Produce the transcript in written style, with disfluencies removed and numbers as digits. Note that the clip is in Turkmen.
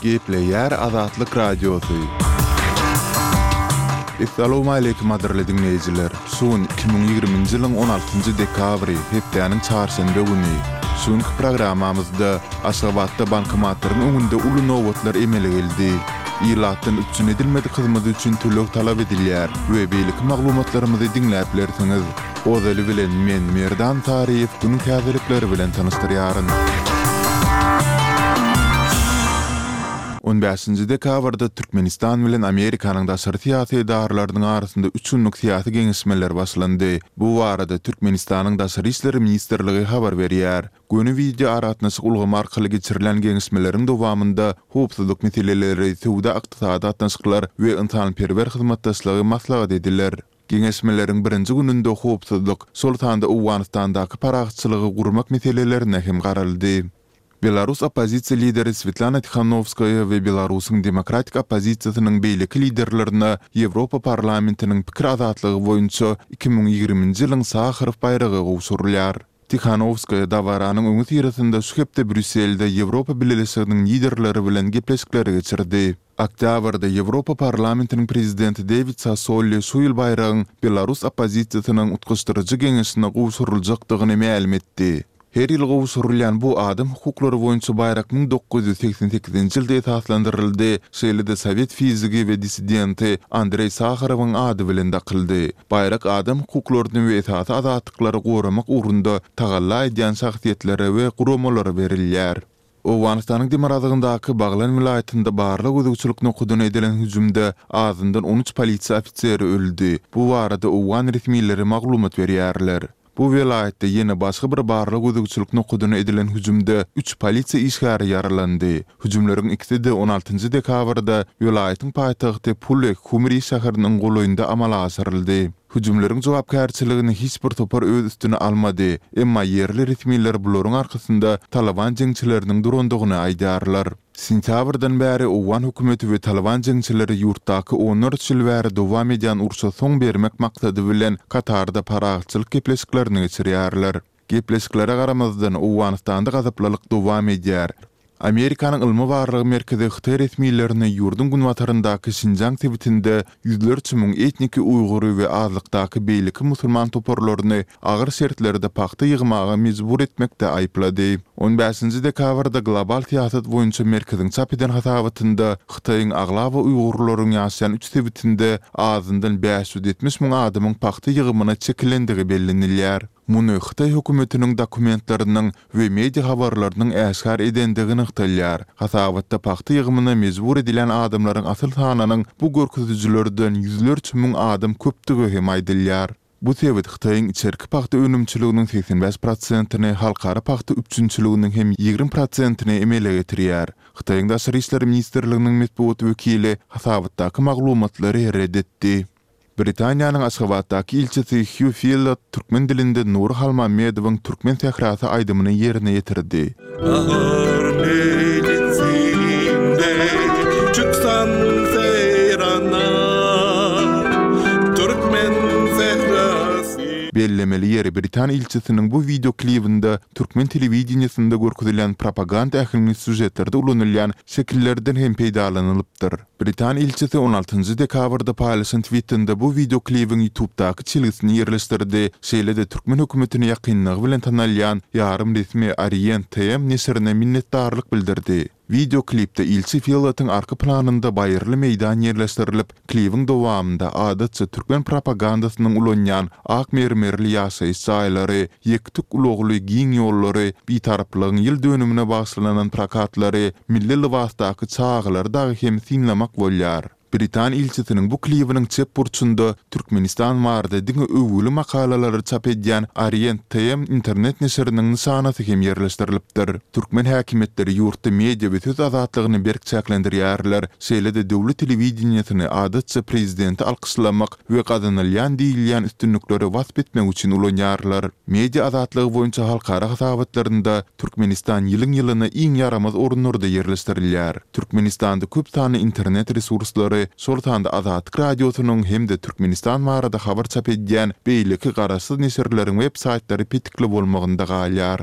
Gepleýär Azatlyk Radiosy. Essalawmaleýkim gadyrly diňleýjiler! Şu gün 2020-nji ýylyň 16-njy dekabry, hepdäniň çarşenbe güni. Şu günki programmamyzda Aşgabatda bankomatlaryň öňünde uly nobatlar emele geldi. Ilatdan üpjün edilmedik hyzmat üçin töleg talap edilýär we beýleki maglumatlarymyzy diňläp bilersiňiz. Ozaly bilen men Merdan Saryýew günüň täzelikleri bilen tanyşdyrýaryn. On bäşinji dekabrda Türkmenistan bilen Amerikanyň daşary syýasy edaralarynyň arasynda üç günlük syýasy geňeşmeler başlandy. Bu barada Türkmenistanyň Daşary işler ministrligi habar berýär. Göni wideoaragatnaşyk ulgamy arkaly geçirilen geňeşmeleriň dowamynda howpsuzlyk meseleleri, söwda-ykdysady gatnaşyklar we ynsanperwer hyzmatdaşlygy maslahat ediler. Geňeşmeleriň birinji gününde howpsuzlyk, şol sanda Owganystandaky parahatçylygy gurmak meselelerine hem garaldy. Belarus oppozisiýa lideri Swetlana Tihanowskaýa we Belarusyň demokratik oppozisiýasynyň beýleki liderlerine Ýewropa Parlamentiniň pikir azatlygy boýunça 2020-nji ýylyň Saharow baýragy gowşurylýar. Tihanowskaýa dabaranyň öňüsyrasynda şu hepde Brýusselde Ýewropa Bileleşiginiň liderleri bilen gepleşikleri geçirdi. Oktýabrda Ýewropa Parlamentiniň prezidenti Dewid Sassoli şu ýyl baýragyň belarus oppozisiýasynyň Utgaşdyryjy geňeşine gowşuryljakdygyny mälim etdi. Her ýyl gowşurylýan bu adam hukuklary boýunça baýrak 1988-nji ýylda esaslandyryldy, şeýle-de sowet fizigi we dissidenti Andreý Saharowyň ady bilen dakyldy. Baýrak adam hukuklaryny we esasy azatlyklary goramak ugrunda tagalla edýän şahsyýetlere we guramalara berilýär. Owganystanyň demirgazygyndaky Baglan welaýatynda barlag-gözegçilik nokadyna edilen hüjümde azyndan 13 polisiýa ofiseri öldi. Bu barada owgan resmileri maglumat berýärler. Bu welaýatda ýene başga bir barlag-gözegçilik nokadyna edilen hüjümde üç polisiýa işgäri ýaralandy. Hüjümleriň ikisi-de on altynjy dekabrda welaýatyň paýtagty Pul-e Humri şäheriniň golaýynda amala aşyryldy. Hüjümleriň jogapkärçiligini hiç bir topar öz üstüne almady, emma ýerli resmiler bularyň arkasynda Talyban jeňçileriniň durandygyny aýdýarlar. Sentýabrdan bäri owgan hökümeti we Talyban jeňçileri ýurtdaky onlarça ýyl bäri dowam edýän urşa soň bermek maksady bilen Katarda parahatçylyk gepleşiklerini geçirýärler. Gepleşiklere garamazdan, Owganystanda gazaplylyk dowam edýär. Amerikanyň ylmy-barlag merkezi hytaý resmilerini ýurduň günbataryndaky Şinjiang sebitinde ýüzlerçe müň etniki uýgury we azlykdaky beýleki musulman toparlaryny agyr şertlerde pagta ýygmaga mejbur etmekde aýyplady. On bäşinji dekabrda Global syýasat boýunça merkeziň çap eden hasabatynda Hytaýyň aglaba uýgurlaryň ýaşaýan üç sebitinde azyndan 570 müň adamyň pagta ýygymyna çekilendigi bellenilýär. Muny hytaý hökümetiniň dokumentleriniň we media habarlarynyň äşgär edendigi nygtalýar. Hasabatda pagta ýygymyna mejbur edilýän adamlaryň asyl sanynyň bu görkezijilerden ýüzlerçe müň adam köpdügi hem aýdylýar. Bu sebit Hytaýyň içerki pagta önümçiliginiň 85 prosentini, halkara pagta üpjünçiliginiň hem 20 prosentini emele getirýär. Hytaýyň Daşary işler ministrliginiň metbugat wekili hasabatdaky maglumatlary ret etdi. Britaniýanyň Aşgabatdaky ilçisi Hýu Fillot türkmen dilinde Nury Halmammedowyň Türkmen sährasy aýdymyny ýerine ýetirdi. Bahar mejlisinde çyksan seýrana, Türkmen sährasy. Bellemeli ýeri, britan ilçisiniň bu wideo klibinde türkmen telewideniýesinde görkezilýän propaganda äheňli sýužetlerde ulanylýan şekillerden hem peýdalanylypdyr. Britan ilçisi on altynjy dekabrda paýlaşan twitinde bu wideoklibiň YouTubedaky çelgisini ýerleşdirdi, şeýle-de türkmen hökümetine ýakynlygy bilen tanalýan ýarym resmi Orient TM neşirine minnetdarlyk bildirdi. Wideoklipde ilçi Fillatyň arka planynda baýyrly meýdan ýerleşdirilip, klibiň dowamynda adatça türkmen propagandasynyň ulanýan ak mermerli ýaşaýyş jaýlary, ýek-tük ulagly giň ýollary, Bitaraplygyň ýyl dönümine bagyşlanan prokatlary, milli lybasdaky çagalary dagy hem synlamak bolýar. Britan ilçisiniň bu klibiniň çep burçunda Türkmenistan barada diňe öwgüli makalalary çap edýän Orient TM internet neşiriniň nyşanasy hem ýerleşdirilipdir. Türkmen häkimiýetleri ýurtda media we söz azatlygyny berk çäklendirýärler, şeýle-de döwlet telewideniýesini adatça prezidenti alkyşlamak we gazanylýan diýilýän üstünlikleri wasp etmek üçin ulanýarlar. Media azatlygy boýunça halkara hasabatlarynda Türkmenistan ýylyň-ýylyna iň ýaramaz orunlarda ýerleşdirilýär. Türkmenistanda köp sanly internet resurslary, şol sanda Azatlyk Radiosynyň hem-de Türkmenistan barada habar çap edýän beýleki garaşsyz neşirleriň web saýtlary petikli bolmagynda galýar.